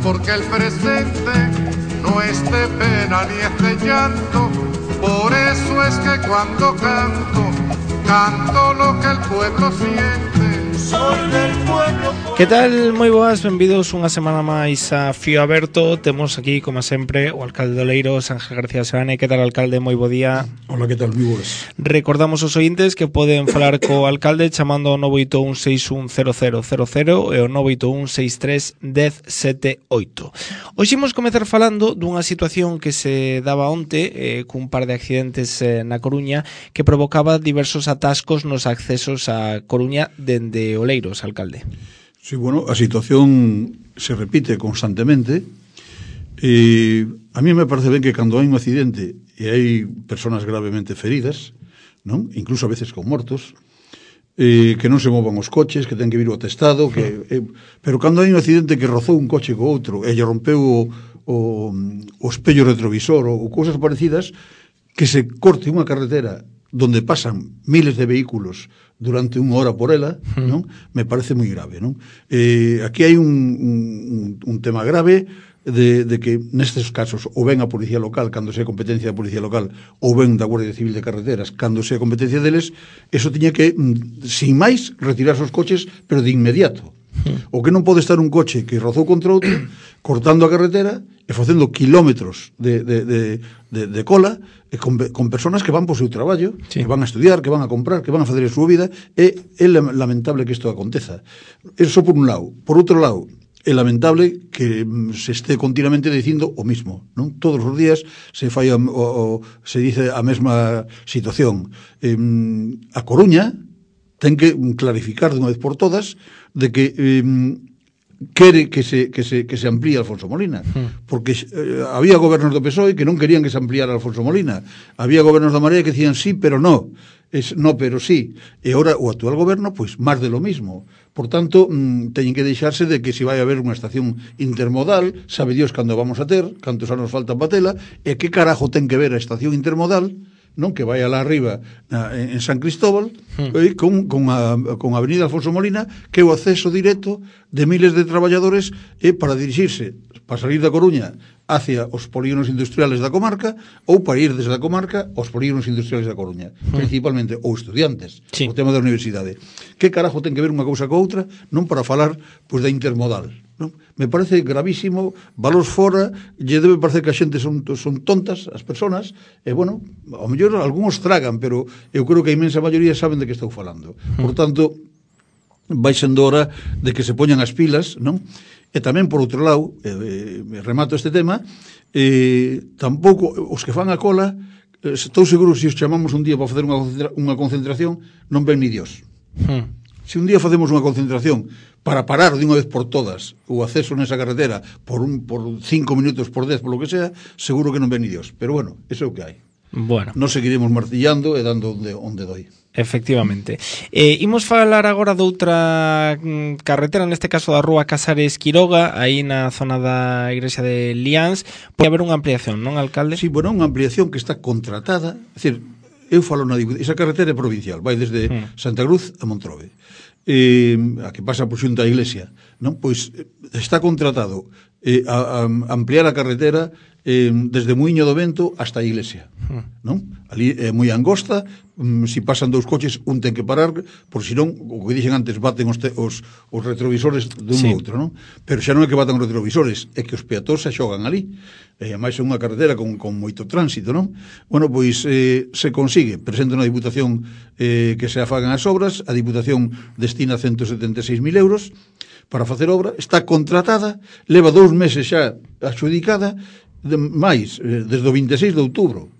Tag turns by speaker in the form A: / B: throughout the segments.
A: porque el presente no es de pena ni es de llanto. Por eso es que cuando canto, canto lo que el pueblo siente. Soy del pueblo.
B: Que tal? Moi boas, benvidos unha semana máis a Fío Aberto. Temos aquí, como sempre, o alcalde de Oleiros, Ángel García Seoane. Que tal, alcalde? Moi bo día.
C: Hola, que tal? Moi boas.
B: Recordamos aos ointes que poden falar co alcalde chamando ao 981610000 e ao 981631078. Hoxe imos comezar falando dunha situación que se daba onte cun par de accidentes na Coruña que provocaba diversos atascos nos accesos a Coruña dende Oleiros, alcalde.
C: Sí, bueno, a situación se repite constantemente. A mí me parece ben que cando hai un accidente e hai personas gravemente feridas, non? Incluso a veces con mortos, que non se movan os coches, que ten que vir o atestado, pero cando hai un accidente que rozou un coche co outro e lle rompeu o espello retrovisor ou cousas parecidas, que se corte unha carretera donde pasan miles de vehículos durante unha hora por ela, non? Me parece moi grave, non? Aquí hai un tema grave de que nestes casos ou ben a Policía Local cando sea competencia da Policía Local ou ben da Guardia Civil de Carreteras cando sea competencia deles, eso tiña que, sin máis, retirarse os coches, pero de inmediato. O que non pode estar un coche que rozou contra outro cortando a carretera e facendo kilómetros de cola e con personas que van por seu traballo, sí, que van a estudiar, que van a comprar, que van a fazer a súa vida. É lamentable que isto aconteza. Eso por un lado. Por outro lado, é lamentable que se este continuamente dicindo o mismo, non? Todos os días se fai se dice a mesma situación. A Coruña ten que clarificar de unha vez por todas de que quere que se amplíe Alfonso Molina, porque había gobernos do PSOE que non querían que se ampliara Alfonso Molina, había gobernos da Marea que decían sí, pero no, no, pero sí, e ora o actual goberno, pois, máis de lo mismo. Por tanto, teñen que deixarse de que se vai haber unha estación intermodal, sabe Dios cando vamos a ter, cantos anos faltan para tela, e que carajo ten que ver a estación intermodal, non, que vai alá arriba en San Cristóbal, con a avenida Alfonso Molina, que é o acceso directo de miles de traballadores para dirixirse, para salir da Coruña hacia os polígonos industriales da comarca ou para ir desde a comarca aos polígonos industriales da Coruña, principalmente, ou estudiantes, sí, o tema da universidade. Que carajo ten que ver unha cousa co outra? Non para falar pois da intermodal, non? Me parece gravísimo, valos fora, lle debe parecer que a xente son tontas, as persoas, e bueno, ao mellor algúns tragan, pero eu creo que a inmensa maioría saben de que estou falando. Por tanto, vai sendo hora de que se poñan as pilas, non? E tamén, por outro lado, remato este tema, tampouco os que fan a cola, estou seguro se os chamamos un día para facer unha concentración, non ven ni Dios. Se un día facemos unha concentración para parar de unha vez por todas o acceso nesa carretera por 5 minutos, por 10, por lo que sea, seguro que non ven ni Dios. Pero bueno, eso é o que hai.
B: Bueno,
C: nos seguiremos martillando e dando onde doi.
B: Efectivamente. Imos falar agora doutra carretera, neste caso da rúa Casares Quiroga, aí na zona da igrexa de Liáns. Pode haber unha ampliación, non, alcalde?
C: Sí, bueno, unha ampliación que está contratada. É dicir, eu falo na Diputación, esa carretera é provincial, vai desde Santa Cruz a Montrobe, a que pasa por xunto a iglesia, non? Pois está contratado a ampliar a carretera desde Muiño do Vento hasta a iglesia, non? Ali é moi angosta, se pasan dous coches un ten que parar, por si non, o que dixen antes, baten os retrovisores dun outro, non? Pero xa non é que batan os retrovisores, é que os peatóns se xogan ali, e máis é unha carretera con moito tránsito, non? Bueno, pois se consigue, presenta na Diputación que se afagan as obras, a Diputación destina 176.000 euros para facer obra, está contratada, leva 2 meses xa adxudicada, máis, desde o 26 de outubro,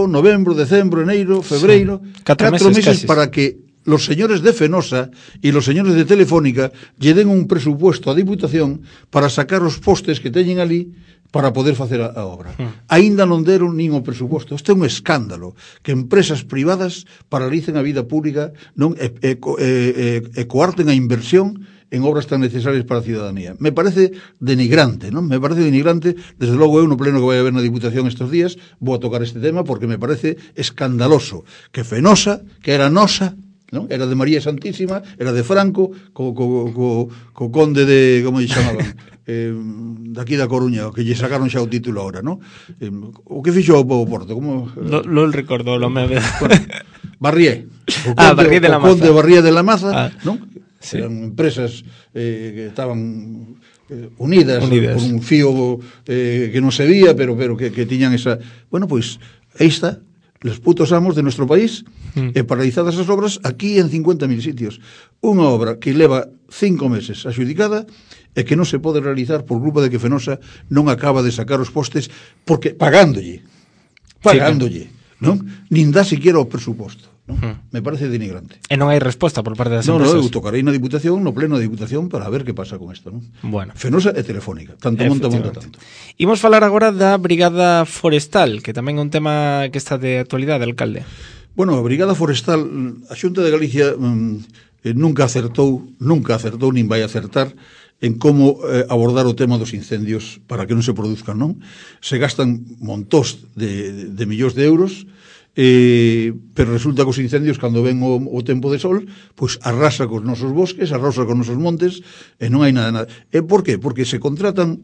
C: novembro, decembro, enero, febreiro, 4 meses para que los señores de Fenosa e los señores de Telefónica lle den un presupuesto á Diputación para sacar os postes que teñen ali para poder facer a obra. Aínda non deron nin o presuposto. Isto é un escándalo, que empresas privadas paralicen a vida pública, non e coarten a inversión en obras tan necesarias para a ciudadanía. Me parece denigrante, non? Me parece denigrante. Desde logo eu no pleno que vai haber na Diputación estes días vou a tocar este tema porque me parece escandaloso que Fenosa, que era nosa, non? Era de María Santísima, era de Franco, co conde de, como lle chamaban? daqui da Coruña, que lle sacaron xa o título ahora, non? O que fixo o Porto? Como,
B: lo recordo, lo me...
C: bueno, Barrié.
B: Barrié de la Maza.
C: O Conde Barrié de la Maza, non?
B: Sí.
C: Eran empresas que estaban unidas por un fío que non se vía, pero que tiñan esa... Bueno, pois, aí está, los putos amos de nuestro país, paralizadas as obras aquí en 50.000 sitios. Unha obra que leva 5 meses axudicada e que non se pode realizar por culpa de que Fenosa non acaba de sacar os postes porque pagándolle, non? Nin dá siquiera o presuposto, non? Me parece denigrante.
B: E non hai resposta por parte das
C: Non,
B: empresas.
C: eu tocarei na Diputación, no pleno da Diputación, para ver que pasa con isto, non?
B: Bueno.
C: Fenosa e Telefónica, tanto monta tanto.
B: Imos falar agora da Brigada Forestal, que tamén é un tema que está de actualidade, alcalde.
C: Bueno, a Brigada Forestal, a Xunta de Galicia nunca acertou, nin vai acertar en como abordar o tema dos incendios para que non se produzcan, non? Se gastan montóns de millóns de euros, pero resulta que os incendios, cando ven o tempo de sol, pois arrasa cos nosos bosques, arrasa cos nosos montes, e non hai nada. E por qué? Porque se contratan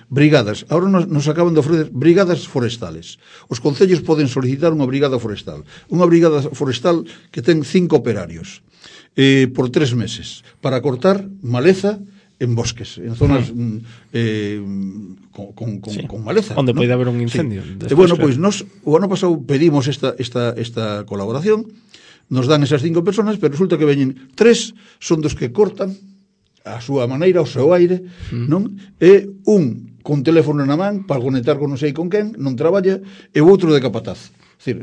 C: brigadas. Ahora nos acaban de ofrecer brigadas forestales. Os concellos poden solicitar unha brigada forestal. Unha brigada forestal que ten 5 operarios por 3 meses para cortar maleza en bosques, en zonas con maleza,
B: onde
C: ¿no?
B: pode haber un incendio.
C: Sí. Bueno, pois nos o ano pasado pedimos esta colaboración, nos dan esas 5 personas, pero resulta que veñen 3 son dos que cortan a súa maneira, o seu aire, non? E un con teléfono na man para conectar con non sei con quen, non traballa, e o outro de capataz. Es decir,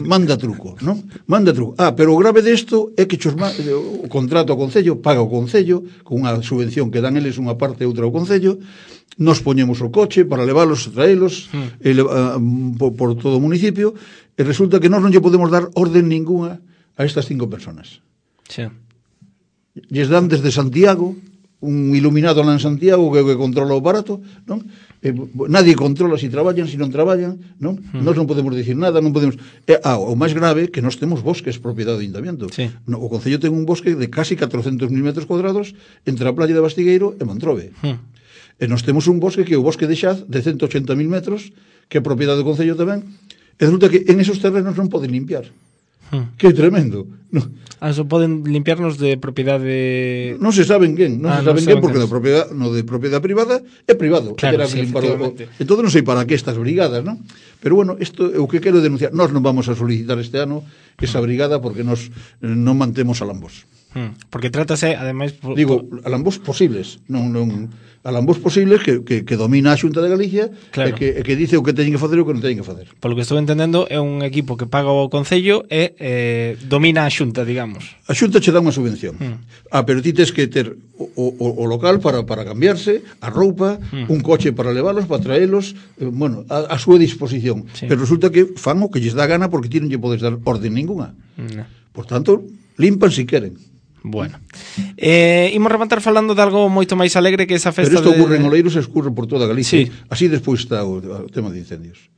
C: manda truco, non? Manda truco. Pero o grave desto é que o contrato ao Concello, paga o Concello, con unha subvención que dan eles unha parte e outra ao Concello, nos poñemos o coche para leválos, traelos por todo o municipio, e resulta que nós non lle podemos dar orden ninguna a estas 5 personas.
B: Sí.
C: Lles dan desde Santiago, un iluminado lá en Santiago que controla o aparato, non? Nadie controla si traballan, si non traballan, non? Nós non podemos dicir nada, non podemos... o máis grave que nós temos bosques propiedade do Ayuntamiento.
B: Sí.
C: O Concello ten un bosque de casi 400.000 metros cuadrados entre a playa de Bastigueiro e Montrobe. E nós temos un bosque que é o bosque de Xaz de 180.000 metros, que é propiedade do Concello tamén, e resulta que en esos terrenos non poden limpiar. Que tremendo.
B: Só poden limpiarnos de propiedade...
C: Non se saben quen, porque no de propiedade privada é privado.
B: Claro, sí, efectivamente.
C: Entón non sei para que estas brigadas, non? Pero bueno, isto é o que quero denunciar. Nós non vamos a solicitar este ano esa brigada porque nós non mantemos alambos.
B: Porque trátase, ademais...
C: Digo, alambos posibles, non alambos posibles que domina a Xunta de Galicia,
B: claro.
C: e que dice o que teñen que facer e o que non teñen que facer.
B: Polo que estou entendendo, é un equipo que paga o Concello e domina a Xunta, digamos.
C: A Xunta che dá unha subvención. Pero ti tes que ter o local para cambiarse, a roupa, un coche para leválos, para traelos, bueno, a súa disposición.
B: Sí.
C: Pero resulta que fan o que lles dá gana porque ti non lle podes dar orden ninguna. Por tanto, limpan si queren.
B: Bueno, imos rematar falando de algo moito máis alegre que esa festa.
C: Pero isto ocurre en Oleiros e escurre por toda Galicia.
B: Sí.
C: Así despois está o tema de incendios.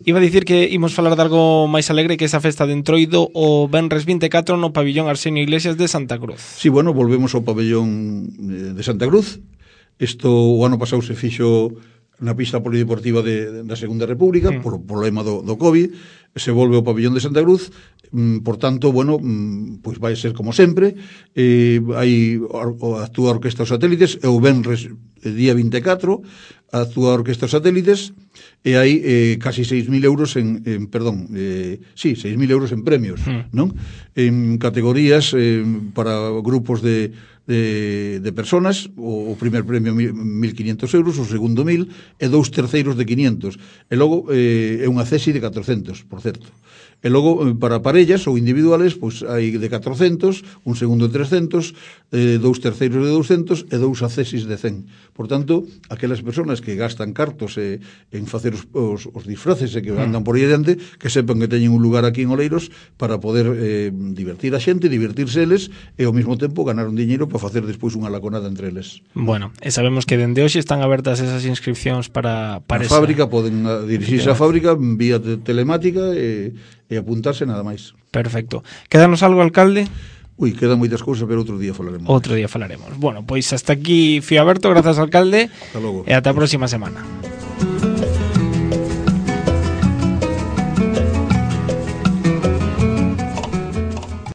B: Iba a dicir que imos falar de algo máis alegre que esa festa de Entroido o Venres 24 no pabillón Arsenio Iglesias de Santa Cruz.
C: Sí, bueno, volvemos ao pabellón de Santa Cruz. Isto o ano pasado se fixo na pista polideportiva da Segunda República por problema do COVID, se volve ao pabellón de Santa Cruz. Por tanto, bueno, pois vai ser como sempre, actúa a Orquesta os Satélites, e o Venres día 24 actúa a Orquesta os Satélites, e hai casi 6.000 euros 6.000 euros en premios, non? En categorías para grupos de personas, o primer premio 1.500 euros, o segundo 1.000, e 2 terceiros de 500, e logo é unha cesi de 400, por certo. E logo, para parellas ou individuales, pois hai de 400, un segundo de 300, 2 terceiros de 200 e 2 accesis de 100. Por tanto, aquelas persoas que gastan cartos en facer os disfraces e que andan por aí adiante, que sepan que teñen un lugar aquí en Oleiros para poder divertir a xente, divertirse eles, e ao mesmo tempo ganar un diñeiro para facer despois unha laconada entre eles.
B: Bueno, e sabemos que dende hoxe están abertas esas inscripcións para
C: a fábrica, poden dirixirse á fábrica vía telemática e apuntarse nada máis.
B: Perfecto. Quédanos algo, alcalde?
C: Ui, quedan moitas cousas, pero outro día falaremos.
B: Outro día falaremos. Bueno, pois hasta aquí Fío Aberto, grazas, alcalde.
C: Hasta logo.
B: E ata a próxima semana.